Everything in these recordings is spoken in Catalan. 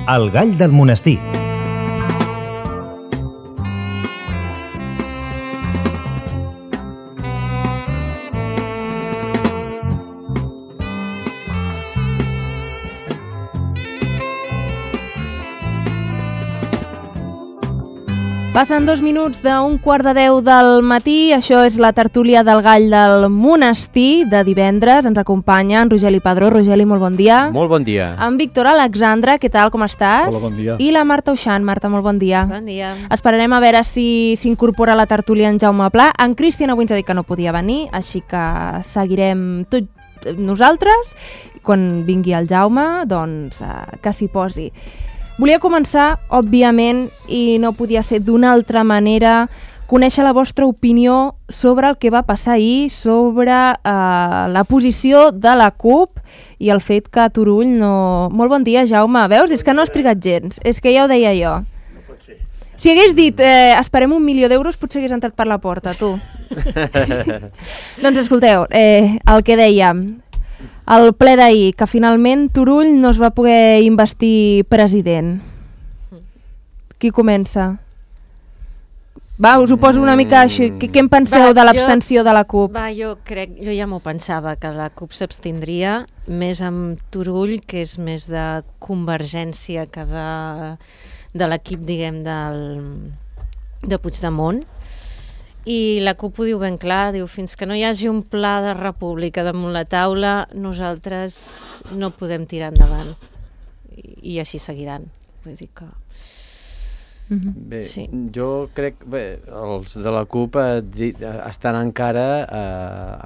El gall del monestir. Passen 2 minuts d'un 9:15 del matí. Això és la tertúlia del gall del monestir de divendres. Ens acompanya en Rogeli Padró. Rogeli, molt bon dia. Molt bon dia. En Víctor Alexandra, què tal, com estàs? Hola, bon dia. I la Marta Uixant. Marta, molt bon dia. Bon dia. Esperarem a veure si s'incorpora a la tertúlia en Jaume Pla. En Cristian avui ens ha dit que no podia venir, així que seguirem tot nosaltres. Quan vingui el Jaume, doncs que s'hi posi. Volia començar, òbviament, i no podia ser d'una altra manera, conèixer la vostra opinió sobre el que va passar ahir, sobre la posició de la CUP i el fet que a Turull no... Molt bon dia, Jaume. Veus? És que no has trigat gens. És que ja ho deia jo. No pot ser. Si hagués dit esperem 1 milió d'euros, potser hagués entrat per la porta, tu. Doncs escolteu, el que dèiem... El ple d'ahir, que finalment Turull no es va poder investir president. Qui comença? Va, us ho poso una mica així. Què en penseu de l'abstenció de la CUP? Jo ja m'ho pensava, que la CUP s'abstindria, més amb Turull, que és més de convergència que de l'equip, diguem, de Puigdemont. I la CUP ho diu ben clar, diu, fins que no hi hagi un pla de república damunt la taula, nosaltres no podem tirar endavant. I així seguiran. Vull dir que... Bé, sí. Jo crec que els de la CUP estan encara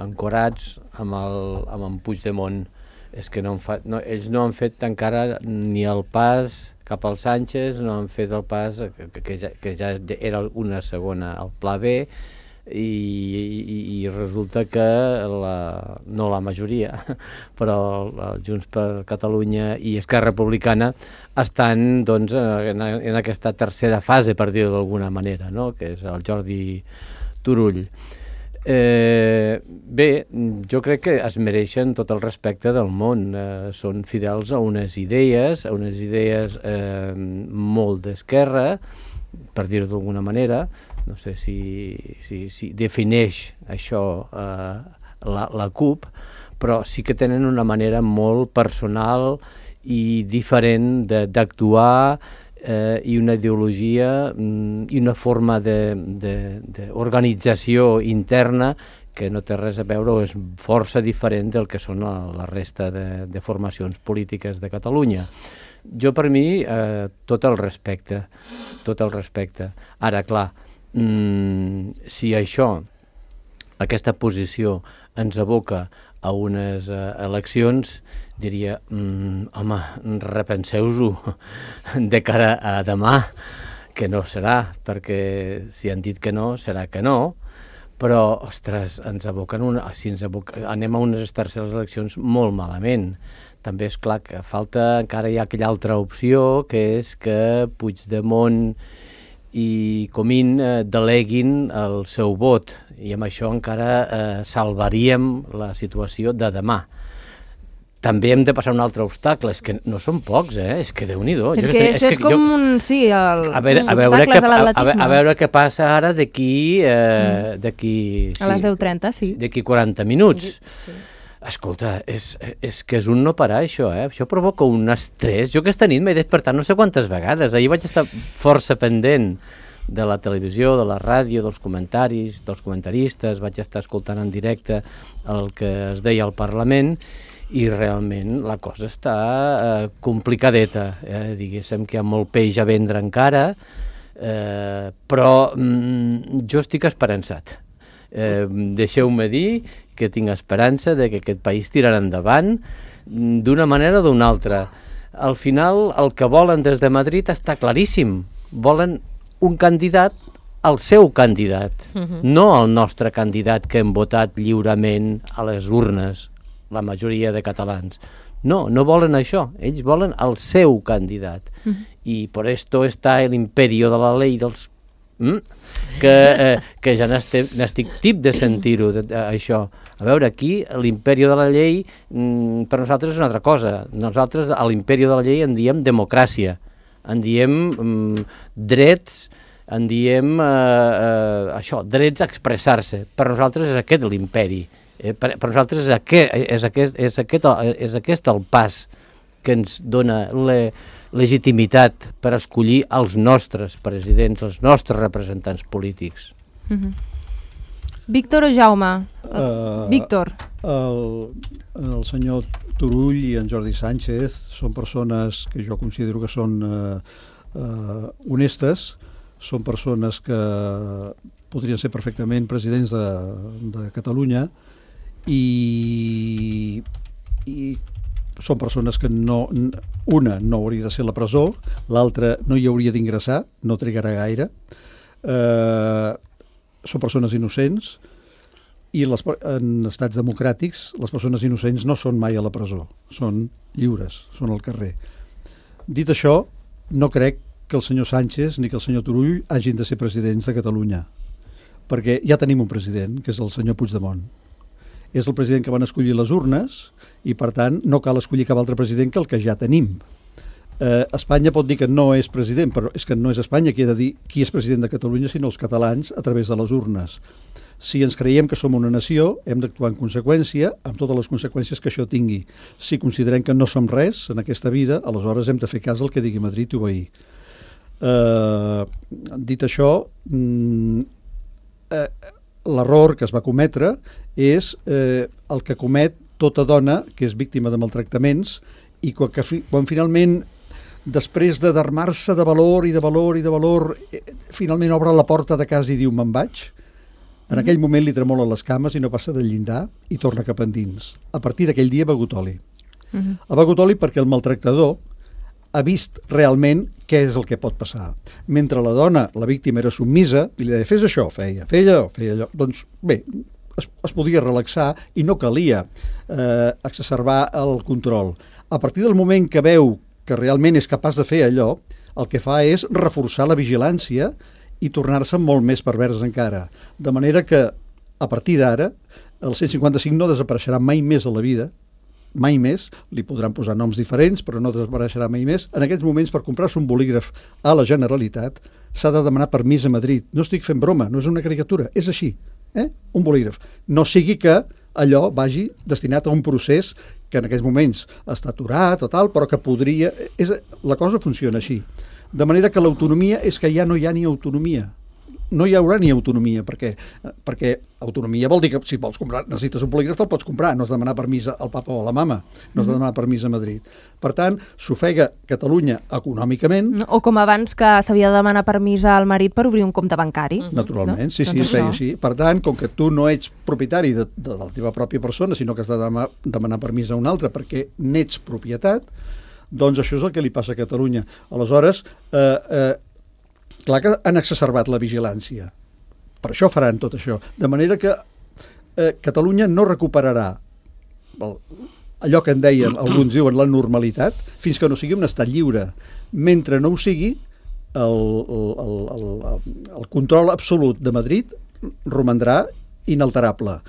ancorats amb en Puigdemont. És que ells no han fet encara ni el pas cap al Sánchez, no han fet el pas que ja era una segona, el pla B, i resulta que no la majoria, però el Junts per Catalunya i Esquerra Republicana estan doncs, en aquesta tercera fase, per dir-ho d'alguna manera, no? Que és el Jordi Turull. Bé, jo crec que es mereixen tot el respecte del món, són fidels a unes idees molt d'esquerra, per dir-ho d'alguna manera. No sé si defineix això la CUP, però sí que tenen una manera molt personal i diferent d'actuar, i una ideologia i una forma d'organització interna que no té res a veure o és força diferent del que són la resta de formacions polítiques de Catalunya. Jo, per mi, tot el respecte. Ara, clar, si aquesta posició ens aboca a unes eleccions, diria, home, repenseu-ho de cara a demà, que no serà, perquè si han dit que no, serà que no, però, ostres, anem a unes terceres eleccions molt malament. També és clar que encara hi ha aquella altra opció, que és que Puigdemont i Comín deleguin el seu vot, i amb això encara salvaríem la situació de demà. També hem de passar un altre obstacle, és que no són pocs, és que Déu-n'hi-do. És que això és com obstacles a l'atletisme. A veure què passa ara d'aquí... A les 10:30, sí. D'aquí 40 minuts. Sí. Escolta, és que és un no parar, això, Això provoca un estrès. Jo aquesta nit m'he despertat no sé quantes vegades. Ahir vaig estar força pendent de la televisió, de la ràdio, dels comentaris, dels comentaristes, vaig estar escoltant en directe el que es deia al Parlament, i realment la cosa està complicadeta. Diguéssim que hi ha molt peix a vendre encara, però jo estic esperançat. Deixeu-me dir que tinc esperança de que aquest país tirarà endavant d'una manera o d'una altra. Al final, el que volen des de Madrid està claríssim. Volen un candidat, el seu candidat, no el nostre candidat que hem votat lliurement a les urnes, la majoria de catalans. No volen això. Ells volen el seu candidat. I per esto està el imperio de la ley dels... que ja n'estic tip de sentir-ho, això. A veure, aquí l'imperi de la llei per nosaltres és una altra cosa. Nosaltres a l'imperi de la llei en diem democràcia. en diem drets, en diem això, drets a expressar-se. Per nosaltres és aquest l'imperi. Per nosaltres és aquest el pas que ens dona legitimitat per escollir els nostres presidents, els nostres representants polítics. Víctor o Jaume? Víctor. El senyor Turull i en Jordi Sánchez són persones que jo considero que són honestes, són persones que podrien ser perfectament presidents de Catalunya i són persones que una no hauria de ser a la presó, l'altra no hi hauria d'ingressar, no trigarà gaire. Són persones innocents i en estats democràtics les persones innocents no són mai a la presó, són lliures, són al carrer. Dit això, no crec que el senyor Sánchez ni que el senyor Turull hagin de ser presidents de Catalunya, perquè ja tenim un president, que és el senyor Puigdemont. És el president que van escollir les urnes i, per tant, no cal escollir cap altre president que el que ja tenim. Espanya pot dir que no és president, però és que no és Espanya qui ha de dir qui és president de Catalunya, sinó els catalans a través de les urnes. Si ens creiem que som una nació, hem d'actuar en conseqüència, amb totes les conseqüències que això tingui. Si considerem que no som res en aquesta vida, aleshores hem de fer cas al que digui Madrid i obeir. Dit això, l'error que es va cometre és el que comet tota dona que és víctima de maltractaments i quan finalment, després d'armar-se de valor i de valor i de valor, finalment obre la porta de casa i diu me'n vaig, en aquell moment li tremolen les cames i no passa del llindar i torna cap endins. A partir d'aquell dia ha begut oli. Ha begut oli perquè el maltractador ha vist realment què és el que pot passar. Mentre la dona, la víctima, era submisa i li deia fes això, feia allò. Doncs bé, es podia relaxar i no calia exacerbar el control. A partir del moment que veu que realment és capaç de fer allò, el que fa és reforçar la vigilància i tornar-se molt més pervers encara. De manera que, a partir d'ara, el 155 no desapareixerà mai més a la vida, mai més, li podran posar noms diferents, però no desapareixerà mai més. En aquests moments, per comprar-se un bolígraf a la Generalitat, s'ha de demanar permís a Madrid. No estic fent broma, no és una caricatura, és així. Un bolígraf. No sigui que allò vagi destinat a un procés que en aquests moments està aturat o tal, però que podria... La cosa funciona així. De manera que l'autonomia és que ja no hi ha ni autonomia. No hi haurà ni autonomia, perquè autonomia vol dir que si vols comprar, necessites un bolígraf, te'l pots comprar, no has de demanar permís al papa o a la mama, no has de demanar permís a Madrid. Per tant, s'ofega Catalunya econòmicament. O com abans que s'havia de demanar permís al marit per obrir un compte bancari. Naturalment, sí, es feia així. Per tant, com que tu no ets propietari de la teva pròpia persona, sinó que has de demanar permís a un altre perquè n'ets propietat, doncs això és el que li passa a Catalunya. Aleshores, clar que han exacerbat la vigilància. Per això faran tot això. De manera que Catalunya no recuperarà allò que en deien, alguns diuen, la normalitat, fins que no sigui un estat lliure. Mentre no ho sigui, el control absolut de Madrid romandrà inalterable,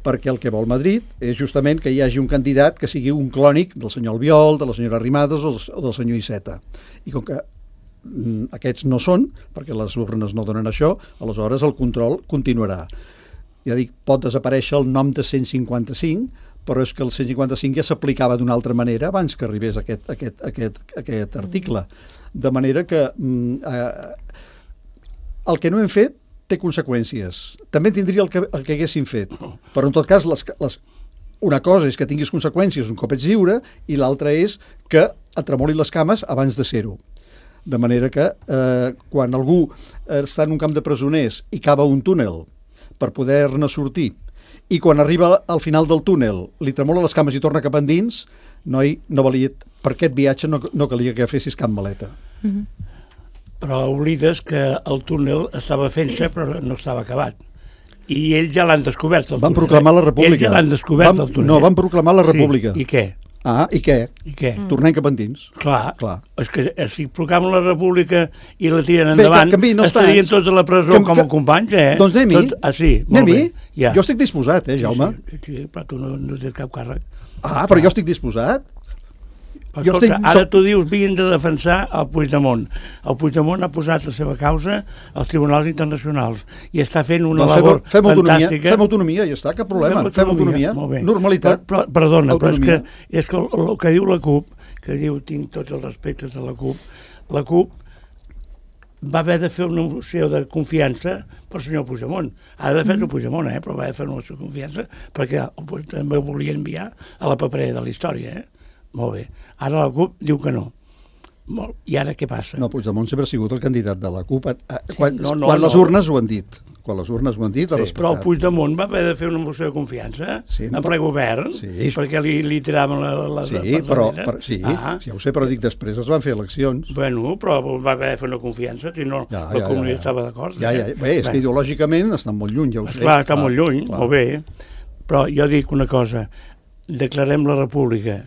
perquè el que vol Madrid és justament que hi hagi un candidat que sigui un clònic del senyor Albiol, de la senyora Arrimadas o del senyor Iceta. I com que aquests no són, perquè les urnes no donen això, aleshores el control continuarà. Ja dic, pot desaparèixer el nom de 155, però és que el 155 ja s'aplicava d'una altra manera abans que arribés aquest article. De manera que el que no hem fet té conseqüències. També tindria el que haguéssim fet, però en tot cas una cosa és que tinguis conseqüències un cop ets lliure i l'altra és que et tremoli les cames abans de ser-ho. De manera que quan algú està en un camp de presoners i cava un túnel per poder-ne sortir i quan arriba al final del túnel li tremola les cames i torna cap endins, noi, no valia, per aquest viatge no calia que fessis cap maleta. Però oblides que el túnel estava fent-se però no estava acabat. I ells ja l'han descobert, el túnel. Van proclamar la república. Ells ja l'han descobert, el túnel. No, van proclamar la república. Sí. I què? I què? I què? Tornem cap endins. Clar. És que si proclamen la república i la tiren endavant, estarien tots a la presó com a companys, Doncs anem-hi. Sí, molt bé. Jo estic disposat, Jaume. Sí, però tu no tens cap càrrec. Però jo estic disposat. Però escolta, ara tu dius havien de defensar el Puigdemont. El Puigdemont ha posat la seva causa als tribunals internacionals i està fent una labor fantàstica. Fem autonomia, ja està, cap problema. Fem autonomia, normalitat. Perdona, però és que el que diu la CUP, que diu tinc tots els respectes de la CUP va haver de fer una moció de confiança pel senyor Puigdemont. Ha de fer-ho Puigdemont, però va haver de fer una moció de confiança perquè també ho volia enviar a la paperera de la història, Molt bé. Ara la CUP diu que no. I ara què passa? No, Puigdemont sempre ha sigut el candidat de la CUP. Quan les urnes ho han dit. Quan les urnes ho han dit, però el Puigdemont va haver de fer una moció de confiança en ple govern, perquè li tiraven la Sí, ja ho sé, però dic, després es van fer eleccions. Bueno, però va haver de fer una confiança, si no, la comunitat estava d'acord. Bé, és que ideològicament estan molt lluny, ja ho sé. Clar, està molt lluny, molt bé. Però jo dic una cosa, declarem la república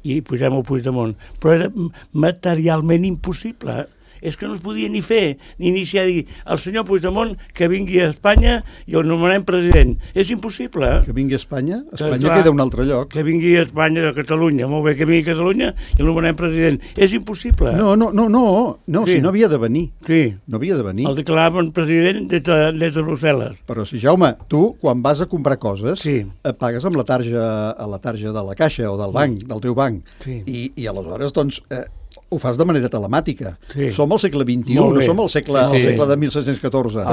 i pugem el Puigdemont, però era materialment impossible. És que no es podia ni fer, ni iniciar a dir el senyor Puigdemont que vingui a Espanya i el nomenem president. És impossible. Que vingui a Espanya? Espanya queda un altre lloc. Que vingui a Espanya, a Catalunya, molt bé, que vingui a Catalunya i el nomenem president. És impossible. No, si no havia de venir. Sí. No havia de venir. El declaraven president des de Brussel·les. Però si, Jaume, tu, quan vas a comprar coses, pagues amb la tarja de la caixa o del banc, del teu banc. I aleshores, doncs, ho fas de manera telemàtica. Som al segle XXI, no som al segle de 1714.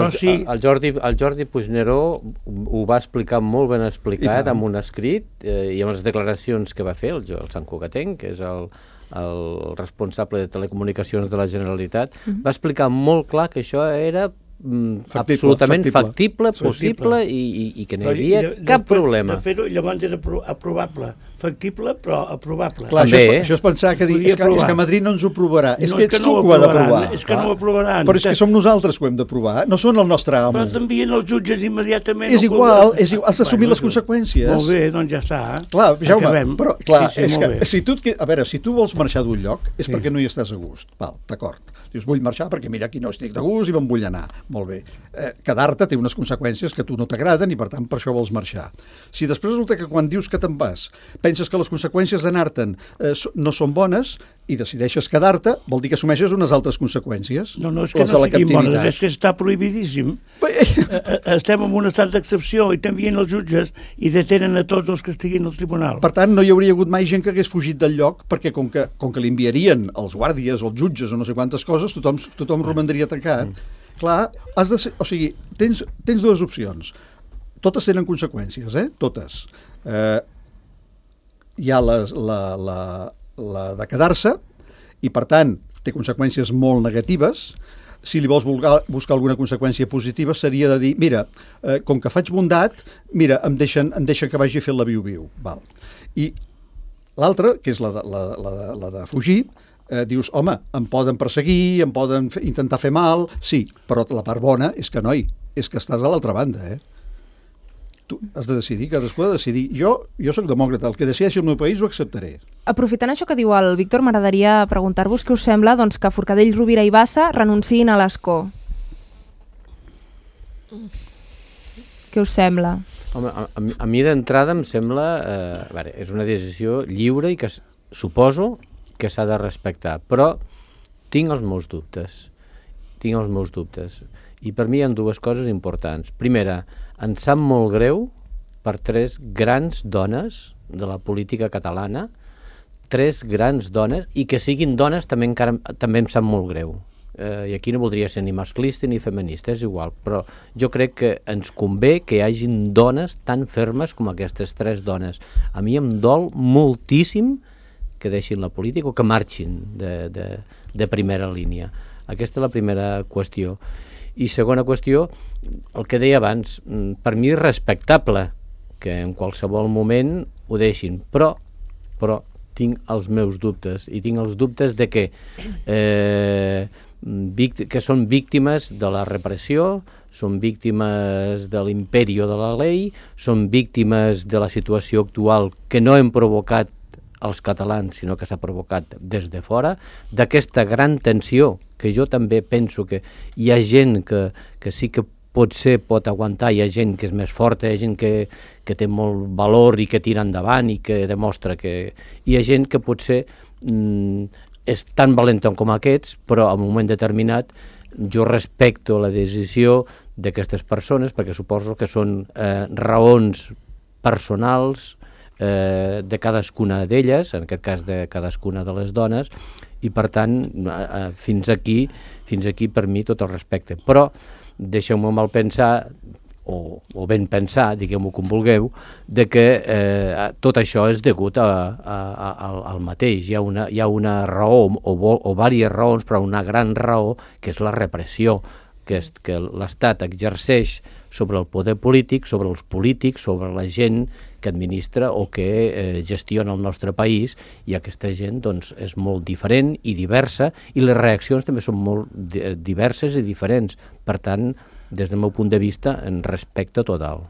El Jordi Puigneró ho va explicar molt ben explicat amb un escrit i amb les declaracions que va fer el Sant Cugatenc, que és el responsable de telecomunicacions de la Generalitat, va explicar molt clar que això era absolutament factible, possible i que no hi havia cap problema. De fer-ho, llavors era aprovable. Factible, però aprovable. Clar, això és pensar que és que Madrid no ens ho aprovarà. És que ets tu que ho ha d'aprovar. És que no ho aprovaran. Però és que som nosaltres que ho hem d'aprovar. No són el nostre amo. Però t'envien els jutges immediatament. És igual, has d'assumir les conseqüències. Molt bé, doncs ja està. Clar, Jaume, però clar, és que si tu vols marxar d'un lloc és perquè no hi estàs a gust. Val, d'acord. Dius, vull marxar perquè mira, aquí no estic de gust i me'n vull anar. Molt bé. Quedar-te té unes conseqüències que a tu no t'agraden i per tant per això vols marxar. Si després resulta que quan dius que te'n vas penses que les conseqüències d'anar-te'n no són bones i decideixes quedar-te, vol dir que assumeixes unes altres conseqüències. No, és que no siguin bones, és que està prohibidíssim. Estem en un estat d'excepció i t'envien els jutges i detenen a tots els que estiguin al tribunal. Per tant, no hi hauria hagut mai gent que hagués fugit del lloc perquè com que li enviarien els guàrdies, els jutges o no sé quantes coses, tothom romandria tancat. Clar, tens dues opcions. Totes tenen conseqüències, totes. Hi ha la de quedar-se i, per tant, té conseqüències molt negatives. Si li vols buscar alguna conseqüència positiva seria de dir, mira, com que faig bondat, mira, em deixen que vagi a fer la viu-viu. I l'altra, que és la de fugir, dius, home, em poden perseguir, em poden intentar fer mal, sí, però la part bona és que, noi, és que estàs a l'altra banda, Tu has de decidir, cadascú ha de decidir. Jo soc demòcrata, el que decideixi el meu país ho acceptaré. Aprofitant això que diu el Víctor, m'agradaria preguntar-vos què us sembla que Forcadell, Rovira i Bassa renunciïn a l'escó. Què us sembla? Home, a mi d'entrada em sembla... és una decisió lliure i que suposo que s'ha de respectar, però tinc els meus dubtes. I per mi hi ha dues coses importants. Primera, em sap molt greu per tres grans dones de la política catalana, tres grans dones, i que siguin dones també em sap molt greu. I aquí no voldria ser ni masclista ni feminista, és igual, però jo crec que ens convé que hi hagin dones tan fermes com aquestes tres dones. A mi em dol moltíssim que deixin la política o que marxin de primera línia. Aquesta és la primera qüestió. I segona qüestió, el que deia abans, per mi és respectable que en qualsevol moment ho deixin, però tinc els meus dubtes, i tinc els dubtes de que són víctimes de la repressió, són víctimes de l'imperi de la llei, són víctimes de la situació actual que no hem provocat els catalans, sinó que s'ha provocat des de fora, d'aquesta gran tensió, que jo també penso que hi ha gent que sí que potser pot aguantar, hi ha gent que és més forta, hi ha gent que té molt valor i que tira endavant i que demostra que... Hi ha gent que potser és tan valent com aquests, però en un moment determinat jo respecto la decisió d'aquestes persones, perquè suposo que són raons personals de cadascuna d'elles, en aquest cas de cadascuna de les dones, i per tant fins aquí per mi tot el respecte. Però deixeu-me mal pensar, o ben pensar, digueu-m'ho com vulgueu, de que tot això és degut al mateix. Hi ha una raó, o diverses raons, però una gran raó, que és la repressió, que l'Estat exerceix sobre el poder polític, sobre els polítics, sobre la gent que administra o que gestiona el nostre país, i aquesta gent doncs, és molt diferent i diversa, i les reaccions també són molt diverses i diferents. Per tant, des del meu punt de vista, en respecte total.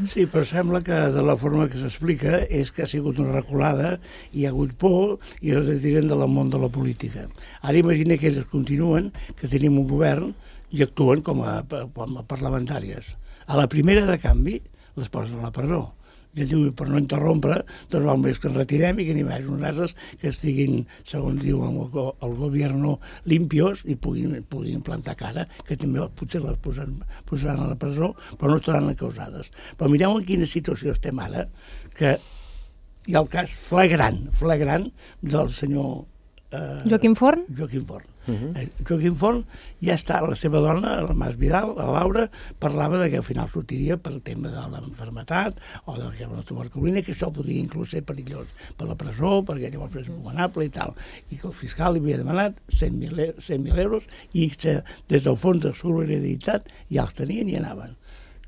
Sí, però sembla que de la forma que s'explica és que ha sigut una reculada, hi ha hagut por i es retiren del món de la política. Ara imagina que elles continuen, que tenim un govern i actuen com a parlamentàries. A la primera de canvi les posen a la presó. Ja diu, per no interrompre, doncs val més que ens retirem i que n'hi hagi uns altres que estiguin, segons diu el govern, limpios i puguin plantar cara, que també potser les posaran a la presó, però no estaran encausades. Però mireu en quina situació estem ara, que hi ha el cas flagrant del senyor Joaquim Forn? Joaquim Forn. Joaquim Forn ja està, la seva dona, la Mas Vidal, la Laura, parlava que al final sortiria per tema de l'enfermetat o de la tuberculina, que això podria inclús ser perillós per la presó, perquè llavors és recomanable i tal, i que el fiscal li havia demanat 100.000 euros i que des del fons de solidaritat ja els tenien i anaven.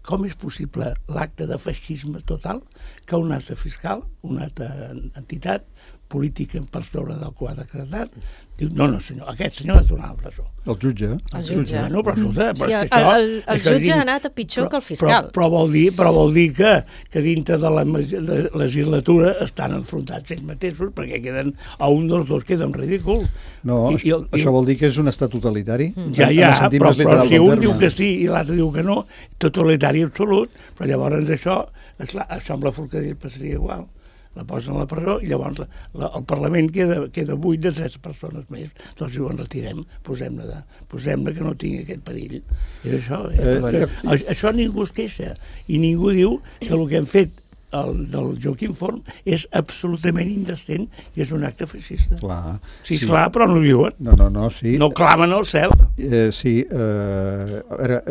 Com és possible l'acte de feixisme total que un altre fiscal, una altra entitat política per sobre del qual ha decretat, diu, no senyor, aquest senyor ha de tornar a la presó. El jutge. El jutge. No, però escolta, sí, el jutge ha anat a pitjor que el fiscal. Però vol dir que dintre de la legislatura estan enfrontats ells mateixos, perquè queden, a un dels dos queda en ridícul. No, això vol dir que és un estat totalitari. Ja, però si un diu que sí i l'altre diu que no, totalitari absolut, però llavors això amb la Forcadell passaria igual. La posen a la presó i llavors el Parlament queda buit de 3 persones més. Doncs ho en retirem, posem-ne que no tingui aquest perill. És això. Això ningú es queixa i ningú diu que el que hem fet del Joaquim Forn és absolutament indecent i és un acte feixista. Sí, esclar, però no ho diuen. No, sí. No clamen al cel. Sí, a veure,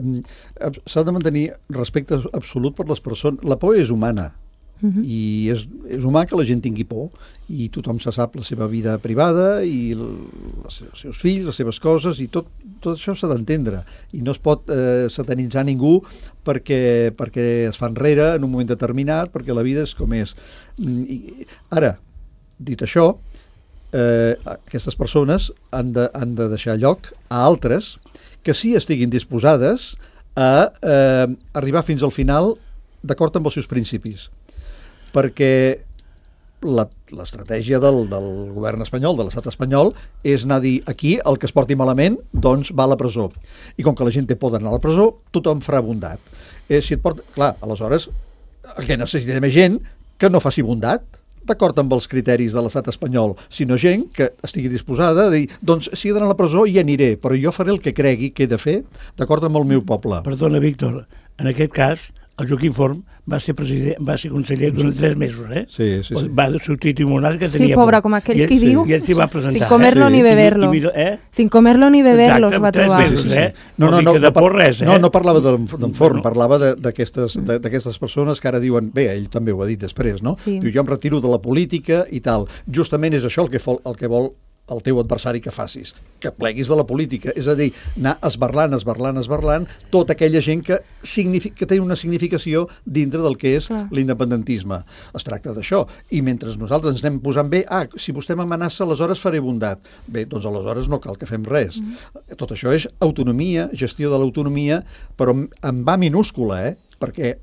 s'ha de mantenir respecte absolut per les persones. La por és humana. I és humà que la gent tingui por i tothom se sap la seva vida privada i els seus fills, les seves coses, i tot això s'ha d'entendre i no es pot satanitzar ningú perquè es fa enrere en un moment determinat, perquè la vida és com és. Ara, dit això, aquestes persones han de deixar lloc a altres que sí estiguin disposades a arribar fins al final d'acord amb els seus principis, perquè l'estratègia del govern espanyol, de l'estat espanyol, és anar a dir aquí el que es porti malament doncs va a la presó, i com que la gent té por d'anar a la presó, tothom farà bondat. Si et porta... Clar, aleshores el que necessitem és gent que no faci bondat d'acord amb els criteris de l'estat espanyol, sinó gent que estigui disposada a dir, doncs si he d'anar a la presó ja aniré, però jo faré el que cregui que he de fer d'acord amb el meu poble. Perdona, Víctor, en aquest cas el Joaquim Forn va ser conseller durant 3 mesos, Sí. Va substituir un altre que tenia por. Sí, pobre, com aquell qui diu. I ell s'hi va presentar. Sin comerlo ni beberlo. Sin comerlo ni beberlo es va trobar. 3 mesos, No parlava d'en Forn, parlava d'aquestes persones que ara diuen, bé, ell també ho ha dit després, no? Diu, jo em retiro de la política i tal. Justament és això el que vol el teu adversari que facis, que pleguis de la política, és a dir, anar esberlant tota aquella gent que té una significació dintre del que és l'independentisme. Es tracta d'això, i mentre nosaltres ens anem posant bé, si vostè m'amenaça, aleshores faré bondat. Bé, doncs aleshores no cal que fem res. Tot això és autonomia, gestió de l'autonomia, però en va minúscula, perquè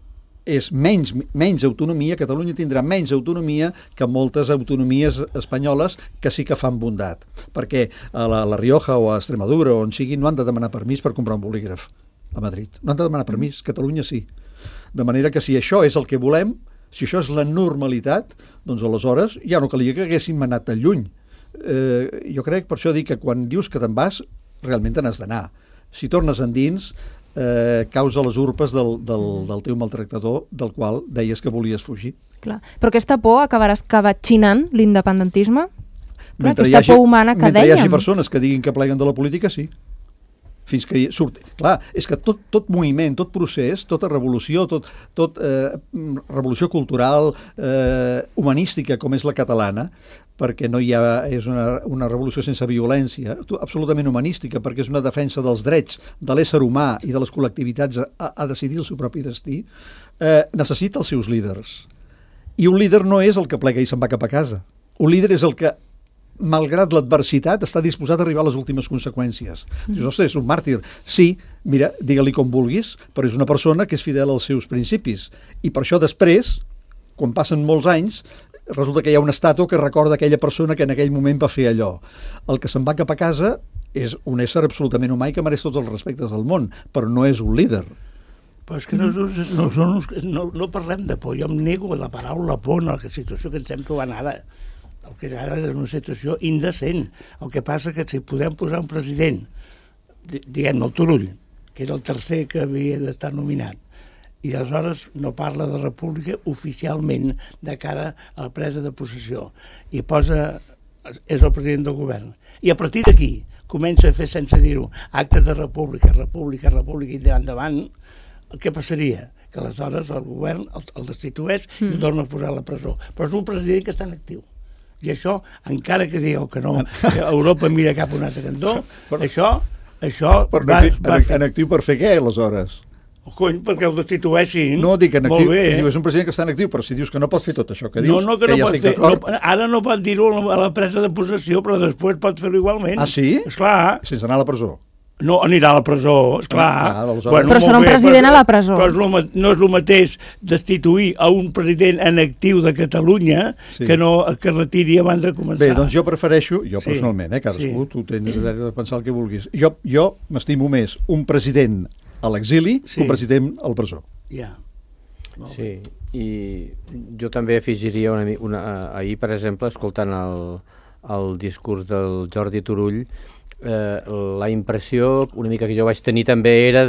és menys autonomia, Catalunya tindrà menys autonomia que moltes autonomies espanyoles que sí que fan bondat, perquè a la Rioja o a Extremadura o on sigui no han de demanar permís per comprar un bolígraf a Madrid, no han de demanar permís, Catalunya sí. De manera que si això és el que volem, si això és la normalitat, doncs aleshores ja no calia que haguéssim anat tan lluny. Jo crec, per això dic que quan dius que te'n vas, realment te n'has d'anar. Si tornes endins, causa les urpes del teu maltractador, del qual deies que volies fugir. Clar. Però aquesta por acabarà escabatxinant l'independentisme? Clar, Mentre aquesta por humana que mentre hi hagi dèiem. persones que diguin que pleguen de la política, sí. Fins que surti. Clar, és que tot moviment, tot procés, tota revolució, revolució cultural, humanística, com és la catalana, perquè no hi ha, és una revolució sense violència, absolutament humanística, perquè és una defensa dels drets de l'ésser humà i de les col·lectivitats a decidir el seu propi destí, necessita els seus líders. I un líder no és el que plega i se'n va cap a casa. Un líder és el que, malgrat l'adversitat, està disposat a arribar a les últimes conseqüències. Dius, ostres, és un màrtir. Sí, mira, digue-li com vulguis, però és una persona que és fidel als seus principis. I per això després, quan passen molts anys, resulta que hi ha una estàtua que recorda aquella persona que en aquell moment va fer allò. El que se'n va cap a casa és un ésser absolutament humà i que mereix tots els respectes del món, però no és un líder. Però és que no parlem de por. Jo em nego la paraula por en la situació que ens estem trobant ara. El que ara és una situació indecent. El que passa que si podem posar un president, diguem-ne el Turull, que era el tercer que havia d'estar nominat, i aleshores no parla de república oficialment de cara a la presa de possessió, i és el president del govern. I a partir d'aquí comença a fer, sense dir-ho, actes de república, i tirar endavant, què passaria? Que aleshores el govern el destitueix i el torna a posar a la presó. Però és un president que està en actiu. I això, encara que digueu que no, que Europa mira cap a un altre cantó, això En actiu per fer què, aleshores? Cony, perquè el destitueixin. No, dic en actiu, molt bé. és un president que està en actiu, però si dius que no pot fer tot això que dius, que ja no pot estic fer. d'acord. Ara no pot dir-ho a la presa de possessió, però després pot fer-ho igualment. Ah, sí? Esclar. Sense anar a la presó. No, anirà a la presó, esclar. Però serà un president a la presó. Però no és el mateix destituir a un president en actiu de Catalunya que retiri abans de començar. Bé, doncs jo prefereixo, personalment, cadascú, tu tens dret de pensar el que vulguis. Jo m'estimo més un president a l'exili que un president a la presó. Ja. Sí, i jo també afegiria ahir, per exemple, escoltant el discurs del Jordi Turull, la impressió una mica que jo vaig tenir també era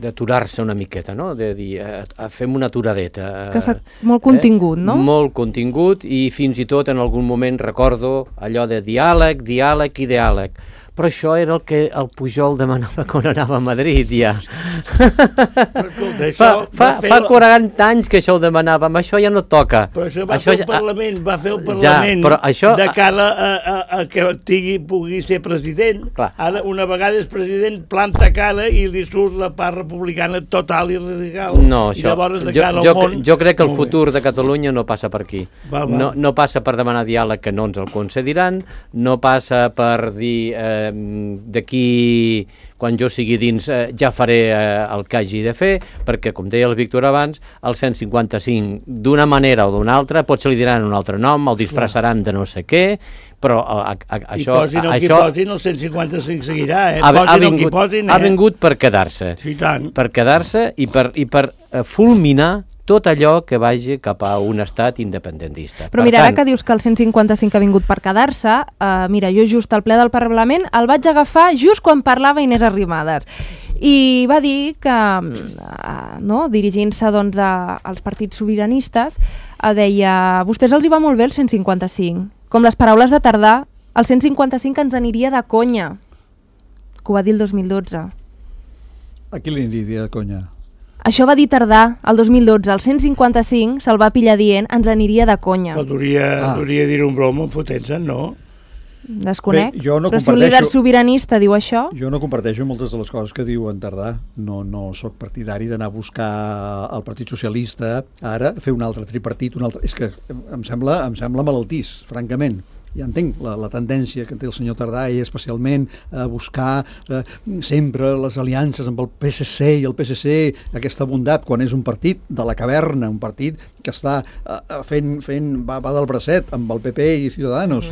d'aturar-se una miqueta, no? De dir, fem una aturadeta. Molt contingut, no? Molt contingut, i fins i tot en algun moment recordo allò de diàleg i diàleg. Però això era el que el Pujol demanava quan anava a Madrid, ja. Fa 40 anys que això ho demanàvem, això ja no toca. Però això va fer el Parlament, de cara a que pugui ser president. Ara, una vegada és president, planta cara i li surt la part republicana total i radical. No, això, jo crec que el futur de Catalunya no passa per aquí. No passa per demanar diàleg, que no ens el concediran, no passa per dir d'aquí, quan jo sigui dins, ja faré el que hagi de fer, perquè, com deia el Víctor abans, el 155, d'una manera o d'una altra, potser li diran un altre nom, el disfressaran de no sé què, però això... I posin el que posin, el 155 seguirà, Posin el que posin, ha vingut per quedar-se. Sí, tant. Per quedar-se i per fulminar tot allò que vagi cap a un estat independentista. Però mira, ara que dius que el 155 ha vingut per quedar-se, mira, jo just al ple del Parlament el vaig agafar just quan parlava Inés Arrimadas. I va dir que, dirigint-se doncs, als partits sobiranistes, deia, a vostès els hi va molt bé el 155. Com les paraules de Tardà, el 155 ens aniria de conya, que ho va dir el 2012. A qui li aniria de conya? Això va dir Tardà, el 2012. El 155 se'l va pillar dient ens aniria de conya. Però duria dir un broma fotent-se'n, no? Desconec. Però si un líder sobiranista diu això... Jo no comparteixo moltes de les coses que diu en Tardà. No sóc partidari d'anar a buscar el Partit Socialista ara, fer un altre tripartit, És que em sembla malaltís, francament. Ja entenc la tendència que té el senyor Tardà, i especialment a buscar sempre les aliances amb el PSC i el PSC, aquesta bondat, quan és un partit de la caverna, un partit que està va del bracet amb el PP i Ciudadanos.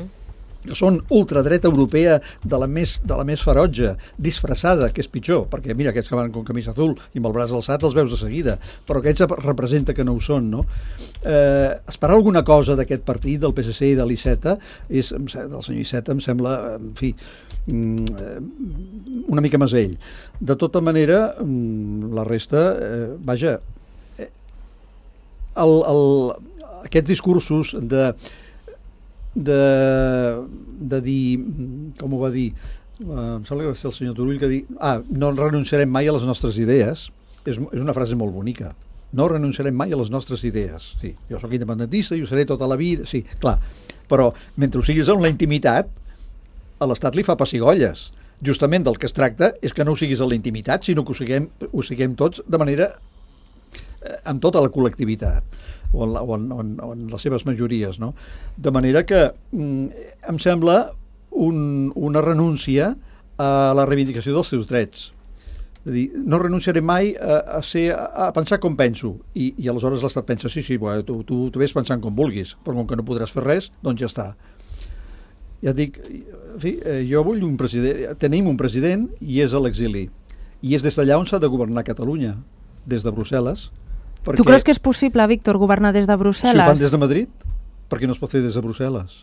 que són ultradreta europea de la més ferotge, disfressada, que és pitjor, perquè mira, aquests que van amb camisa azul i amb el braç alçat els veus de seguida, però aquests representa que no ho són, no? Esperar alguna cosa d'aquest partit, del PSC i de l'Iceta, del senyor Iceta, em sembla, en fi, una mica masell. De tota manera, la resta, vaja, aquests discursos de dir, com ho va dir, em sembla que va ser el senyor Turull que dir, no renunciarem mai a les nostres idees, és una frase molt bonica. No renunciarem mai a les nostres idees. Sí, jo sóc independentista i ho seré tota la vida, sí, clar, però mentre ho siguis en la intimitat, a l'Estat li fa pessigolles. Justament del que es tracta és que no ho siguis en la intimitat, sinó que ho siguem tots de manera amb tota la col·lectivitat o en les seves majories, no? De manera que em sembla una renúncia a la reivindicació dels seus drets. És a dir, no renunciaré mai a pensar com penso, i aleshores l'Estat pensa, sí, tu ves pensant com vulguis, però com que no podràs fer res, doncs ja està. Ja et dic, en fi, jo vull un president, tenim un president i és a l'exili, i és des d'allà on s'ha de governar Catalunya, des de Brussel·les. Perquè... Tu creus que és possible, Víctor, governar des de Brussel·les? Si ho fan des de Madrid, per què no es pot fer des de Brussel·les?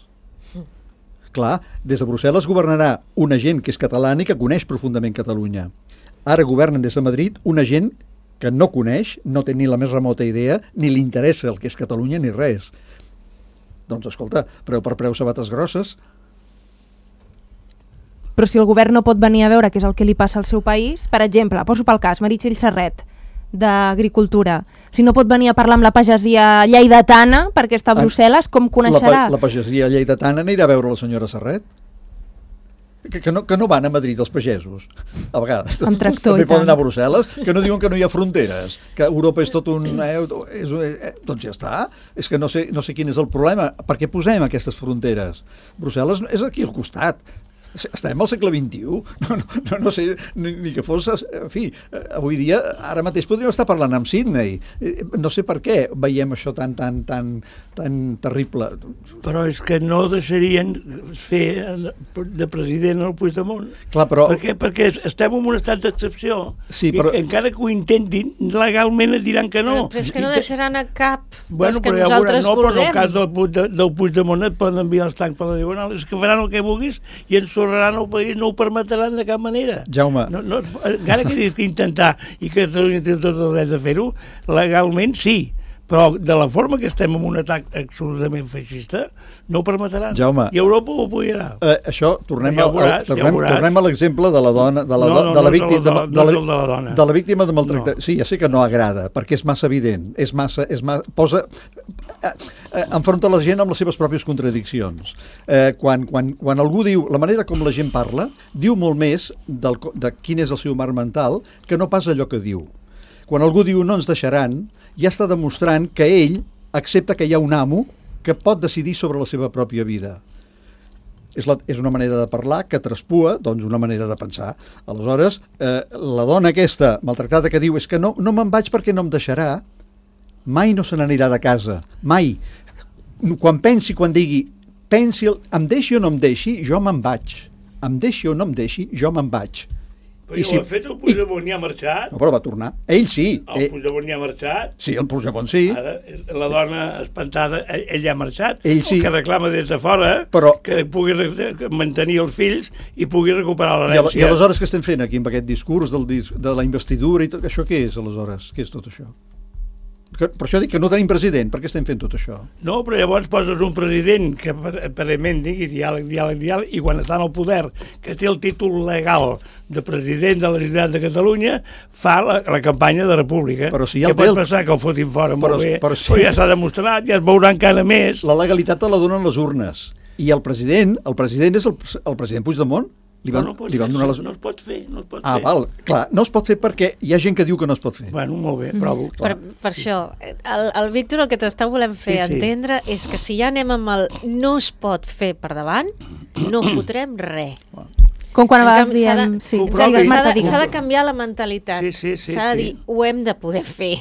Clar, des de Brussel·les governarà una gent que és catalana i que coneix profundament Catalunya. Ara governen des de Madrid una gent que no coneix, no té ni la més remota idea, ni li interessa el que és Catalunya ni res. Doncs escolta, preu per preu sabates grosses. Però si el govern no pot venir a veure què és el que li passa al seu país, per exemple, poso pel cas, Meritxell Serret, d'Agricultura, si no pot venir a parlar amb la pagesia lleidatana perquè està a Brussel·les, com coneixerà? La pagesia lleidatana anirà a veure la senyora Serret? Que no van a Madrid els pagesos a vegades. Amb tractor també poden anar a Brussel·les, que no diuen que no hi ha fronteres, que Europa és tot un... doncs ja està. És que no sé quin és el problema. Per què posem aquestes fronteres? Brussel·les és aquí al costat. Estem al segle XXI, no sé, ni que fos, en fi, avui dia, ara mateix podríem estar parlant amb Sydney, no sé per què veiem això tan terrible. Però és que no deixarien fer de president el Puigdemont. Clar, però... Perquè estem en un estat d'excepció, sí, però... i encara que ho intentin, legalment et diran que no. Però és que no deixaran a cap dels que però nosaltres vulguem. Però en el cas del Puigdemont et poden enviar els tancs per la Diagonal, és que faran el que vulguis i ens sorraran el país, no ho permetran de cap manera. Jaume. Encara que dius que intentar i que Catalunya té tot el dret de fer-ho, legalment sí, però de la forma que estem en un atac absolutament feixista, no ho permetran. Jaume, i Europa ho apoyarà. Això, tornem a l'exemple de la dona, de la víctima de maltractament. No. Sí, ja sé que no agrada, perquè és massa evident, enfronta la gent amb les seves pròpies contradiccions. Quan algú diu, la manera com la gent parla, diu molt més de quin és el seu marc mental que no pas allò que diu. Quan algú diu no ens deixaran, ja està demostrant que ell accepta que hi ha un amo que pot decidir sobre la seva pròpia vida. És una manera de parlar que traspua, doncs, una manera de pensar. Aleshores, la dona aquesta maltractada que diu és que no me'n vaig perquè no em deixarà, mai no se n'anirà de casa, mai. Quan digui, em deixi o no em deixi, jo me'n vaig. Em deixi o no em deixi, jo me'n vaig. Però ho ha fet el Puigdemont i ha marxat? No, però va tornar. Ell sí. El Puigdemont i ha marxat? Sí, el Puigdemont sí. Ara, la dona espantada, ell ha marxat. Ell sí. Que reclama des de fora que pugui mantenir els fills i pugui recuperar l'herència. I aleshores què estem fent aquí amb aquest discurs de la investidura i tot això? Què és aleshores? Què és tot això? Per això dic que no tenim president, per què estem fent tot això? No, però llavors poses un president que aparentment digui diàleg, i quan està en el poder, que té el títol legal de president de la Generalitat de Catalunya, fa la campanya de república. Però si ja que pot passar que el fotin fora molt bé, però ja s'ha demostrat, ja es veurà encara més. La legalitat te la donen les urnes. I el president és el president Puigdemont. No es pot fer. Val, clar, no es pot fer perquè hi ha gent que diu que no es pot fer. Bueno, molt bé, provo. Per això, el Víctor el que t'està volent fer entendre és que si ja anem amb el no es pot fer per davant, no fotrem res. Com quan a vegades diem... S'ha de canviar la mentalitat. Sí. S'ha de dir, ho hem de poder fer.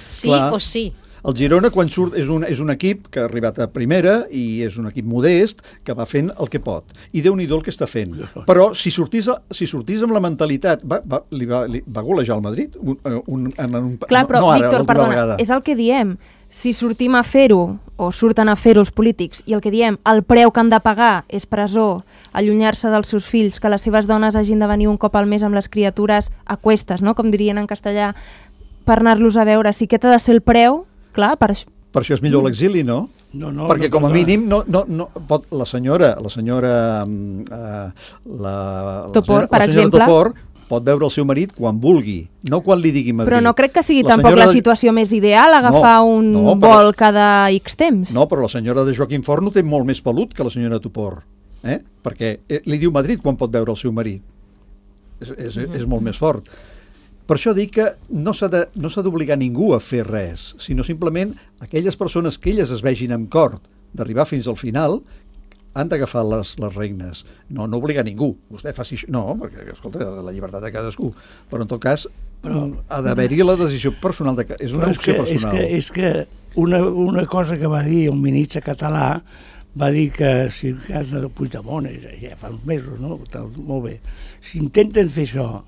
Sí o sí. El Girona, quan surt, és un equip que ha arribat a primera i és un equip modest que va fent el que pot. I Déu-n'hi-do el que està fent. Però si sortís amb la mentalitat... Va golejar el Madrid? Clar, però, no ara, Víctor, l'última perdona, vegada. és el que diem. Si sortim a fer-ho, o surten a fer-ho els polítics, i el que diem, el preu que han de pagar és presó, allunyar-se dels seus fills, que les seves dones hagin de venir un cop al mes amb les criatures a cuestes, no?, com dirien en castellà, per anar-los a veure, si aquest ha de ser el preu, clar, per això és millor l'exili, no? No, perquè com a mínim no pot la senyora Topor, per exemple, Topor pot veure el seu marit quan vulgui, no quan li digui Madrid. Però no crec que sigui tampoc la situació més ideal agafar un vol cada X temps. No, però la senyora de Joaquim Forn no té molt més pelut que la senyora Topor, perquè li diu Madrid quan pot veure el seu marit. És molt més fort. Per això dic que no s'ha d'obligar ningú a fer res, sinó simplement aquelles persones que elles es vegin amb cor d'arribar fins al final han d'agafar les regnes. No obligar ningú. Vostè faci això. No, perquè, escolta, la llibertat de cadascú. Però, en tot cas, ha d'haver-hi la decisió personal. És una opció personal. És que una cosa que va dir el ministre català va dir que si el cas de Puigdemont, ja fa uns mesos, no? Molt bé. Si intenten fer això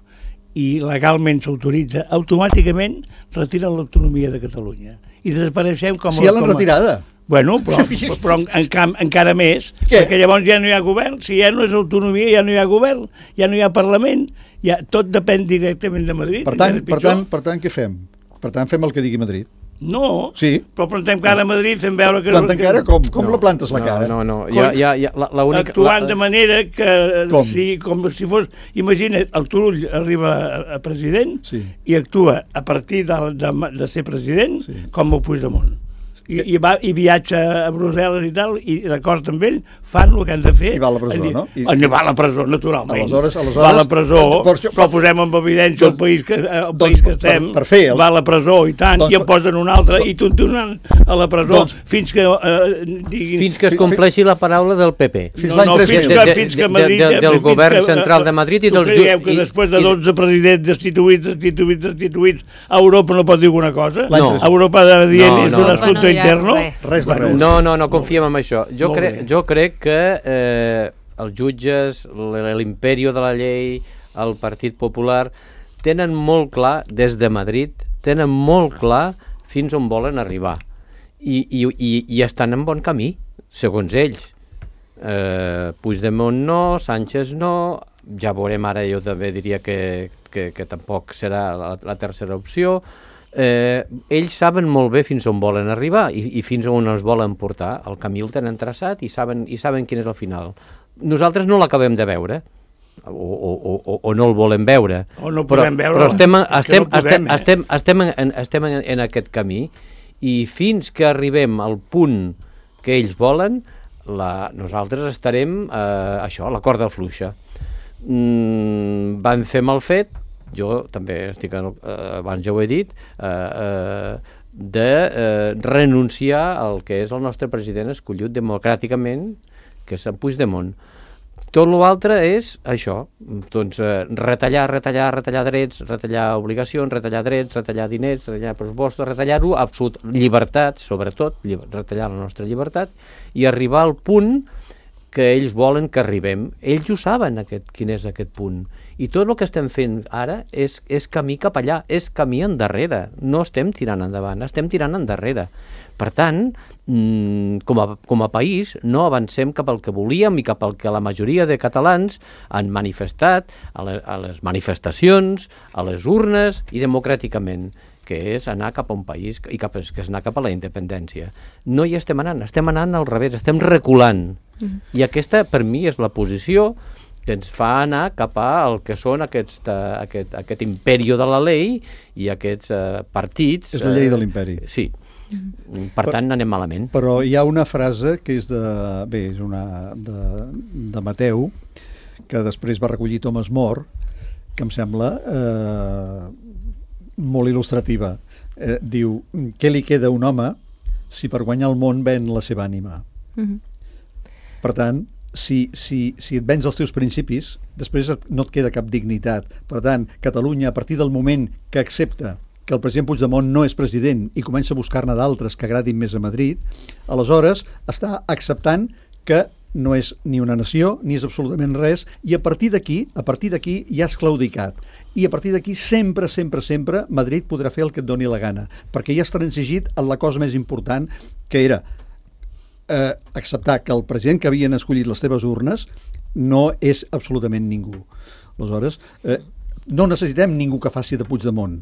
i legalment s'autoritza, automàticament retiren l'autonomia de Catalunya. I desapareixem com... Si ja l'han retirada. Bueno, però encara més, perquè llavors ja no hi ha govern, si ja no és autonomia ja no hi ha govern, ja no hi ha Parlament, tot depèn directament de Madrid. Per tant, què fem? Per tant, fem el que digui Madrid. No, sí. Però plantem cara a Madrid, fem veure que... Plantem cara? Com la plantes la cara? No. Actuant de manera que, com si fos... Imagina't, el Turull arriba a president i actua a partir de ser president com el Puigdemont. I viatja a Brussel·les i tal, i d'acord amb ell fan el que han de fer. I va a la presó, no? Va a la presó, naturalment. Aleshores, va a la presó, però posem en evidència el país que estem, va a la presó i tant, i en posen un altre, i continuen a la presó fins que diguin... Fins que es compleixi la paraula del PP. Fins que Madrid... Del govern central de Madrid i dels... Creieu que després de 12 presidents destituïts, Europa no pot dir alguna cosa? Europa ha de dir és un assumpte interno? Res de res. No confiem en això. Jo crec que els jutges, l'imperio de la llei, el Partit Popular, tenen molt clar, des de Madrid, tenen molt clar fins on volen arribar. I estan en bon camí, segons ells. Puigdemont no, Sánchez no, ja veurem ara, jo també diria que tampoc serà la tercera opció. Ells saben molt bé fins on volen arribar i fins on ens volen portar. El camí el tenen traçat i saben quin és el final. Nosaltres no l'acabem de veure o no el volem veure, però estem en aquest camí, i fins que arribem al punt que ells volen, nosaltres estarem a l'acord del fluixa. Van fer mal fet, jo també estic, abans ja ho he dit, de renunciar al que és el nostre president escollit democràticament, que és en Puigdemont. Tot l'altre és això, doncs retallar drets, retallar obligacions, retallar drets, retallar diners, retallar pressupostos, retallar-ho, llibertat, sobretot, retallar la nostra llibertat, i arribar al punt que ells volen que arribem. Ells ho saben, quin és aquest punt. I tot el que estem fent ara és camí cap allà, és camí endarrere. No estem tirant endavant, estem tirant endarrere. Per tant, com a país, no avancem cap al que volíem i cap al que la majoria de catalans han manifestat a les manifestacions, a les urnes i democràticament, que és anar cap a un país que és anar cap a la independència. No hi estem anant al revés, estem reculant. I aquesta, per mi, és la posició que ens fa anar cap al que són aquest imperi de la llei i aquests partits... És la llei de l'imperi. Sí. Per tant, anem malament. Però hi ha una frase que és de Mateu, que després va recollir Thomas More, que em sembla molt il·lustrativa. Diu, què li queda a un home si per guanyar el món ven la seva ànima? Per tant, si et vens els teus principis, després no et queda cap dignitat. Per tant, Catalunya, a partir del moment que accepta que el president Puigdemont no és president i comença a buscar-ne d'altres que agradin més a Madrid, aleshores està acceptant que no és ni una nació, ni és absolutament res, i a partir d'aquí ja és claudicat. I a partir d'aquí sempre Madrid podrà fer el que et doni la gana, perquè ja has transigit en la cosa més important, que era acceptar que el president que havien escollit les teves urnes no és absolutament ningú. Aleshores, no necessitem ningú que faci de Puigdemont,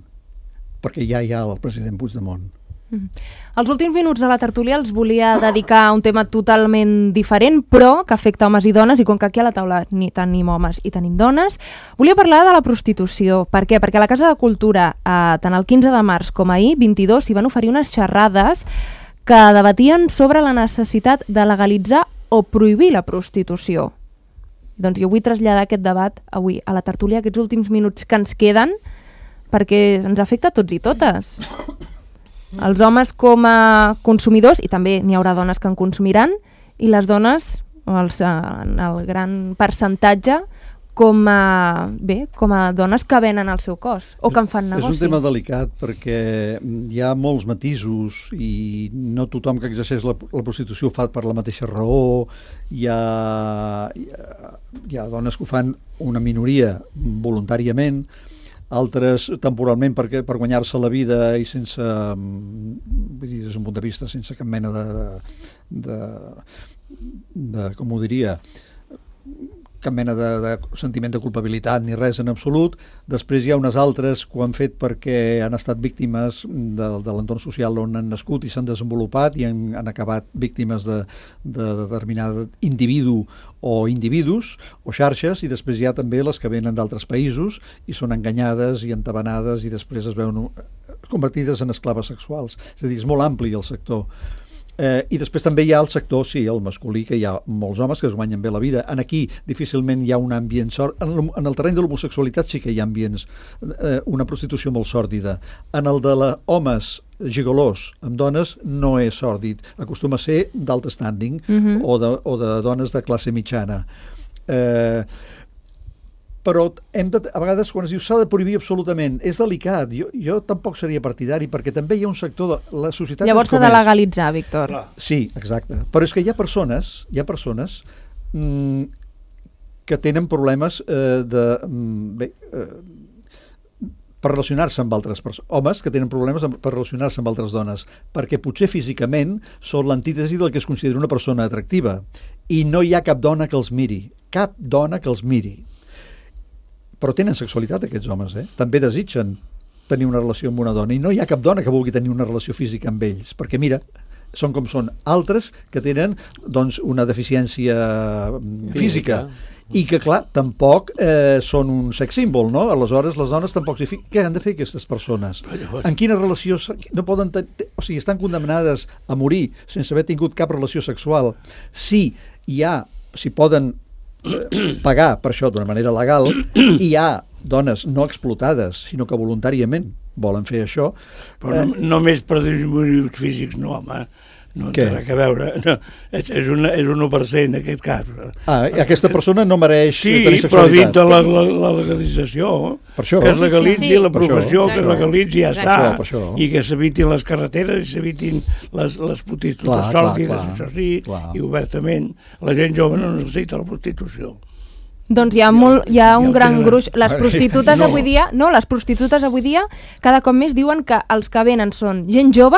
perquè ja hi ha el president Puigdemont. Els últims minuts de la tertúlia els volia dedicar a un tema totalment diferent, però que afecta homes i dones, i com que aquí a la taula ni tenim homes i tenim dones, volia parlar de la prostitució. Per què? Perquè a la Casa de Cultura, tant el 15 de març com ahir, 22, s'hi van oferir unes xerrades que debatien sobre la necessitat de legalitzar o prohibir la prostitució. Doncs jo vull traslladar aquest debat avui a la tertúlia, aquests últims minuts que ens queden, perquè ens afecta a tots i totes. Els homes com a consumidors, i també n'hi haurà dones que en consumiran, i les dones, en el gran percentatge, com a dones que venen el seu cos o que en fan negoci. És un tema delicat perquè hi ha molts matisos i no tothom que exerceix la prostitució ho fa per la mateixa raó. Hi ha dones que ho fan, una minoria, voluntàriament, altres temporalment per guanyar-se la vida i sense, vull dir, des d'un punt de vista, sense cap mena de com ho diria, cap mena de sentiment de culpabilitat ni res en absolut. Després hi ha unes altres que ho han fet perquè han estat víctimes de l'entorn social on han nascut i s'han desenvolupat i han acabat víctimes de determinat individu o individus o xarxes, i després hi ha també les que venen d'altres països i són enganyades i entabanades i després es veuen convertides en esclaves sexuals. És a dir, és molt ampli el sector. I després també hi ha el sector, sí, el masculí, que hi ha molts homes que es guanyen bé la vida. Aquí difícilment hi ha un ambient sòrdid. En el terreny de l'homosexualitat sí que hi ha ambients, una prostitució molt sòrdida. En el de homes gigolós amb dones no és sòrdid, acostuma a ser d'alt standing o de dones de classe mitjana. Però a vegades quan es diu s'ha de prohibir absolutament, és delicat. Jo tampoc seria partidari, perquè també hi ha un sector de la societat... Llavors s'ha de legalitzar, Víctor. Sí, exacte. Però és que hi ha persones que tenen problemes per relacionar-se amb altres persones. Homes que tenen problemes per relacionar-se amb altres dones, perquè potser físicament són l'antítesi del que es considera una persona atractiva. I no hi ha cap dona que els miri. Cap dona que els miri. Però tenen sexualitat aquests homes, també desitgen tenir una relació amb una dona, i no hi ha cap dona que vulgui tenir una relació física amb ells, perquè mira, són com són. Altres que tenen doncs, una deficiència física i que, clar, tampoc són un sex símbol, no? Aleshores, les dones tampoc s'hi fiquen. Què han de fer aquestes persones? En quina relació? No poden o sigui, estan condemnades a morir sense haver tingut cap relació sexual. Si poden pagar per això d'una manera legal, i hi ha dones no explotades, sinó que voluntàriament volen fer això. Però només per motius físics, no, home. No té res a veure. No, és un 1% en aquest cas. Aquesta persona no mereix tenir sexualitat. Sí, però dintre la legalització, que es legalitzi la professió, que es legalitzi i ja està. I que s'evitin les carreteres i s'evitin les prostitutes sòrdides, això sí, i obertament. La gent jove no necessita la prostitució. Doncs hi ha un gran gruix. Les prostitutes avui dia cada cop més diuen que els que venen són gent jove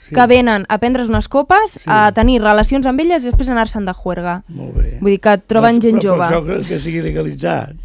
que venen a prendre's unes copes, a tenir relacions amb elles i després anar-se'n de juerga. Molt bé. Vull dir que troben gent jove. Però això que sigui legalitzat.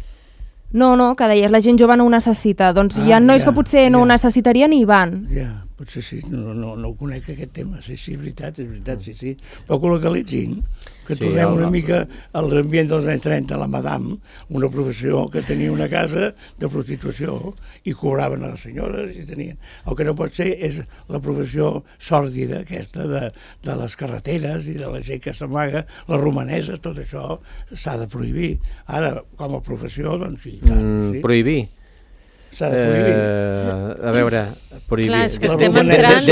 No, que deies, la gent jove no ho necessita. Doncs hi ha nois que potser no ho necessitarien i hi van. Ja, potser sí, no ho conec aquest tema. Sí, és veritat, sí. Però que ho legalitzin, que tornem una mica a l'ambient dels anys 30, la madame, una professió que tenia una casa de prostitució i cobraven a les senyores i tenien... El que no pot ser és la professió sòrdida aquesta de les carreteres i de la gent que s'amaga, les romaneses, tot això s'ha de prohibir. Ara, com a professió, doncs sí. Prohibir? S'ha de prohibir. A veure, prohibir. Clar, és que estem entrant...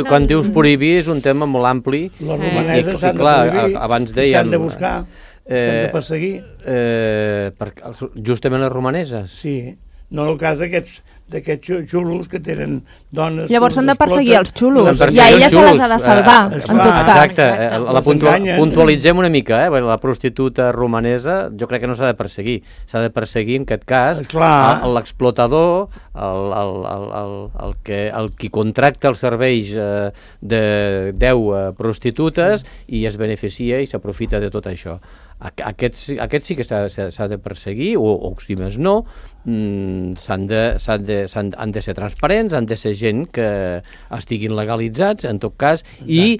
Quan dius prohibir és un tema molt ampli. Les romaneses s'han de prohibir, s'han de buscar, s'han de perseguir. Justament les romaneses? Sí. No en el cas d'aquests xulos que tenen dones... Llavors s'han de perseguir els xulos, Perseguir i a ella els se les xulos. ha de salvar, en tot cas. Exacte, puntualitzem una mica, la prostituta romanesa jo crec que no s'ha de perseguir, s'ha de perseguir en aquest cas l'explotador, el qui contracta els serveis de 10 prostitutes i es beneficia i s'aprofita de tot això. Aquest sí que s'ha de perseguir, o si més no, han de ser transparents, han de ser gent que estiguin legalitzats, en tot cas, i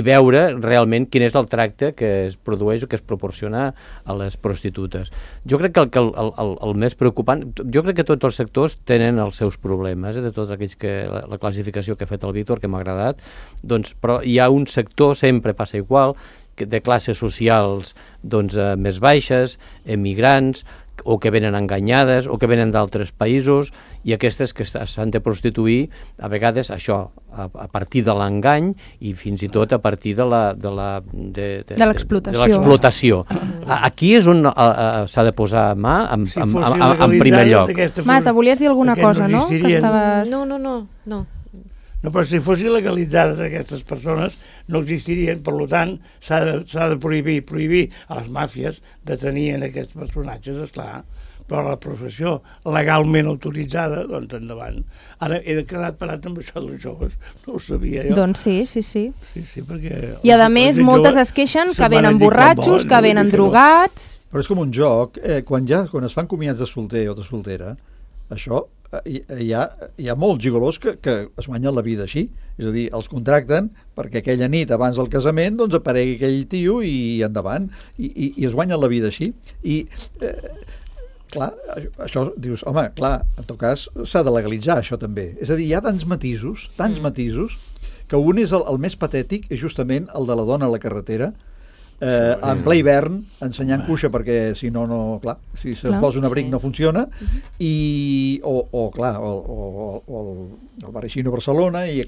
veure realment quin és el tracte que es produeix o que es proporciona a les prostitutes. Jo crec que el més preocupant, jo crec que tots els sectors tenen els seus problemes, de tots aquells que la classificació que ha fet el Víctor, que m'ha agradat, doncs, però hi ha un sector, sempre passa igual, de classes socials més baixes, emigrants, o que venen enganyades, o que venen d'altres països, i aquestes que s'han de prostituir, a vegades això, a partir de l'engany i fins i tot a partir de l'explotació. Aquí és on s'ha de posar mà en primer lloc. Marta, volies dir alguna cosa, no? No. No, però si fossin legalitzades aquestes persones no existirien, per tant s'ha de prohibir a les màfies de tenir aquests personatges, esclar, però la professió legalment autoritzada, doncs endavant. Ara he quedat parat amb això dels joves, no ho sabia jo. Doncs sí. Sí, perquè... I a més moltes es queixen que venen borratxos, que venen drogats... Però és com un joc, quan es fan comiats de solter o de soltera, això... Hi ha molts gigolos que es guanyen la vida així, és a dir, els contracten perquè aquella nit abans del casament doncs aparegui aquell tio i endavant, i es guanyen la vida així, i clar, això dius, home, clar, en tot cas s'ha de legalitzar això també, és a dir, hi ha tants matisos, que un és el més patètic, és justament el de la dona a la carretera, en ple hivern ensenyant cuixa perquè si no, clar, si se'n posa un abric no funciona, i o el Bareixino a Barcelona, i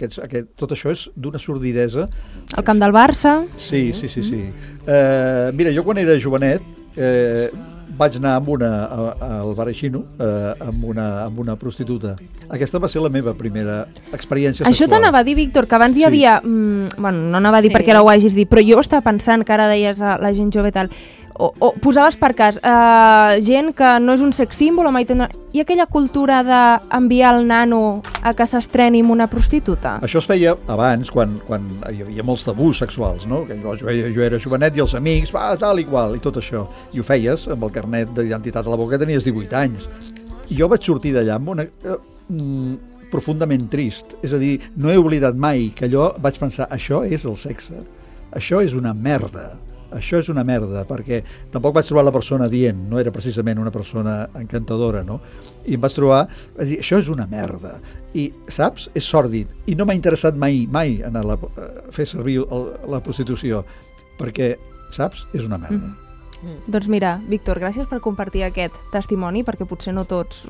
tot això és d'una sordidesa. El camp del Barça. Sí. Mira, jo quan era jovenet vaig anar al Bareixino amb una prostituta. Aquesta va ser la meva primera experiència sexual. Això t'anava a dir, Víctor, que abans hi havia... Bueno, no anava a dir perquè ara ho hagis dit, però jo estava pensant que ara deies a la gent jove tal, o posaves per cas gent que no és un sex símbol, i aquella cultura d'enviar el nano a que s'estreni amb una prostituta. Això es feia abans, quan hi havia molts tabús sexuals, no? Jo era jovenet i els amics, tal i qual, i tot això. I ho feies amb el carnet d'identitat a la boca, tenies 18 anys. I jo vaig sortir d'allà amb una... profundament trist, és a dir, no he oblidat mai que allò vaig pensar, això és el sexe, això és una merda, perquè tampoc vaig trobar la persona dient, no era precisament una persona encantadora, no? I em vaig trobar, vaig dir, això és una merda, i saps, és sòrdid, i no m'ha interessat mai anar a fer servir la prostitució, perquè, saps, és una merda. Doncs mira, Víctor, gràcies per compartir aquest testimoni, perquè potser no tots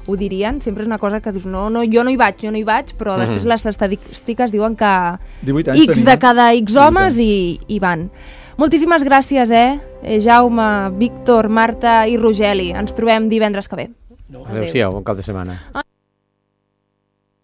ho dirien, sempre és una cosa que dius, no, jo no hi vaig, però després les estadístiques diuen que X de cada X homes hi van. Moltíssimes gràcies, Jaume, Víctor, Marta i Rogeli. Ens trobem divendres que ve. Adéu-siau, bon cap de setmana.